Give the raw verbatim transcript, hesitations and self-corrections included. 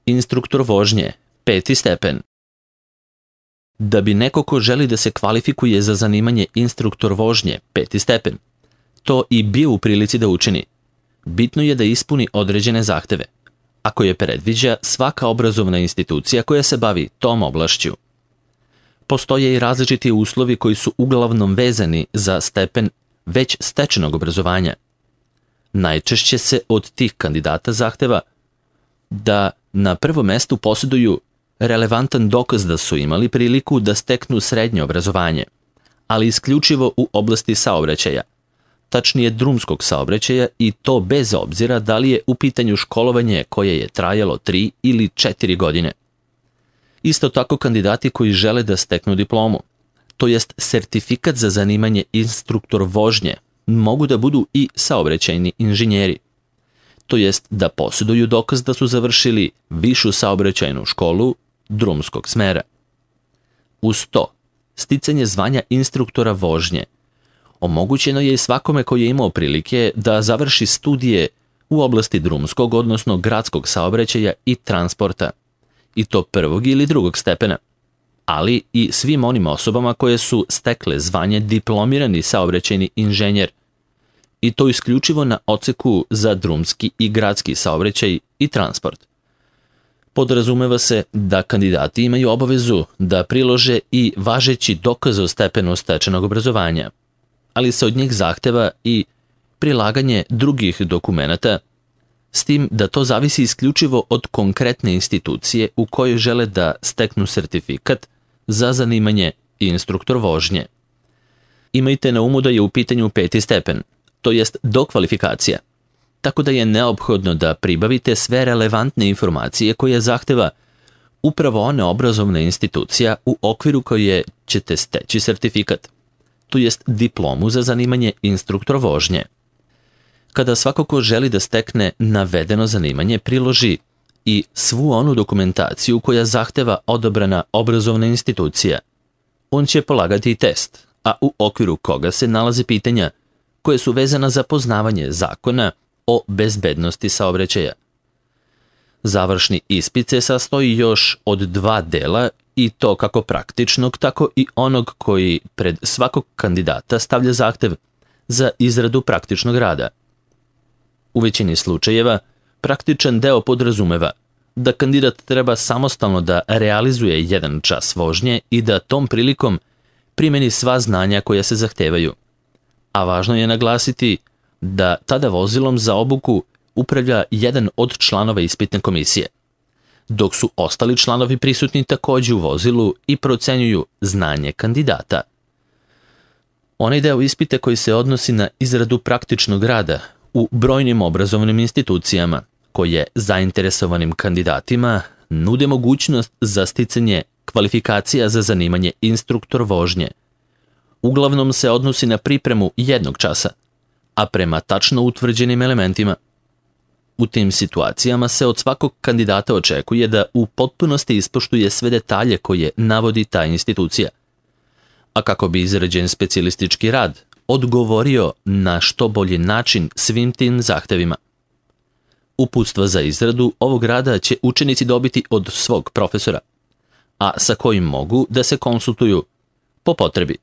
Instruktor vožnje, peti stepen. Da bi neko ko želi da se kvalifikuje za zanimanje instruktor vožnje, peti stepen, to i bio u prilici da učini, bitno je da ispuni određene zahteve, a koje predviđa svaka obrazovna institucija koja se bavi tom oblašću. Postoje i različiti uslovi koji su uglavnom vezani za stepen već stečenog obrazovanja. Najčešće se od tih kandidata zahteva da na prvom mestu posjeduju relevantan dokaz da su imali priliku da steknu srednje obrazovanje, ali isključivo u oblasti saobraćaja, tačnije drumskog saobraćaja, i to bez obzira da li je u pitanju školovanje koje je trajalo tri ili četiri godine. Isto tako kandidati koji žele da steknu diplomu, to jest sertifikat za zanimanje instruktor vožnje, mogu da budu i saobraćajni inženjeri, to jest da posjeduju dokaz da su završili višu saobraćajnu školu drumskog smera. Uz to, sticanje zvanja instruktora vožnje omogućeno je i svakome koji je imao prilike da završi studije u oblasti drumskog, odnosno gradskog saobraćaja i transporta, i to prvog ili drugog stepena, ali i svim onim osobama koje su stekle zvanje diplomirani saobraćajni inženjer, i to isključivo na odseku za drumski i gradski saobraćaj i transport. Podrazumeva se da kandidati imaju obavezu da prilože i važeći dokaz o stepenu stečenog obrazovanja, ali se od njih zahteva i prilaganje drugih dokumenata, s tim da to zavisi isključivo od konkretne institucije u kojoj žele da steknu sertifikat za zanimanje instruktor vožnje. Imajte na umu da je u pitanju peti stepen, to jest dokvalifikacija, tako da je neophodno da pribavite sve relevantne informacije koje zahteva upravo ona obrazovna institucija u okviru koje ćete steći sertifikat, to jest diplomu za zanimanje instruktor vožnje. Kada svako ko želi da stekne navedeno zanimanje priloži i svu onu dokumentaciju koja zahteva odabrana obrazovna institucija, on će polagati i test, a u okviru koga se nalaze pitanja koje su vezana za poznavanje zakona o bezbednosti saobraćaja. Završni ispit se sastoji još od dva dela, i to kako praktičnog, tako i onog koji pred svakog kandidata stavlja zahtev za izradu praktičnog rada. U većini slučajeva, praktičan deo podrazumeva da kandidat treba samostalno da realizuje jedan čas vožnje i da tom prilikom primeni sva znanja koja se zahtevaju. A važno je naglasiti da tada vozilom za obuku upravlja jedan od članova ispitne komisije, dok su ostali članovi prisutni takođe u vozilu i procenjuju znanje kandidata. Onaj deo ispita koji se odnosi na izradu praktičnog rada u brojnim obrazovnim institucijama koje zainteresovanim kandidatima nude mogućnost za sticanje kvalifikacija za zanimanje instruktor vožnje. Uglavnom se odnosi na pripremu jednog časa, a prema tačno utvrđenim elementima. U tim situacijama se od svakog kandidata očekuje da u potpunosti ispoštuje sve detalje koje navodi ta institucija, a kako bi izrađen specijalistički rad odgovorio na što bolji način svim tim zahtevima. Uputstva za izradu ovog rada će učenici dobiti od svog profesora, a sa kojim mogu da se konsultuju po potrebi.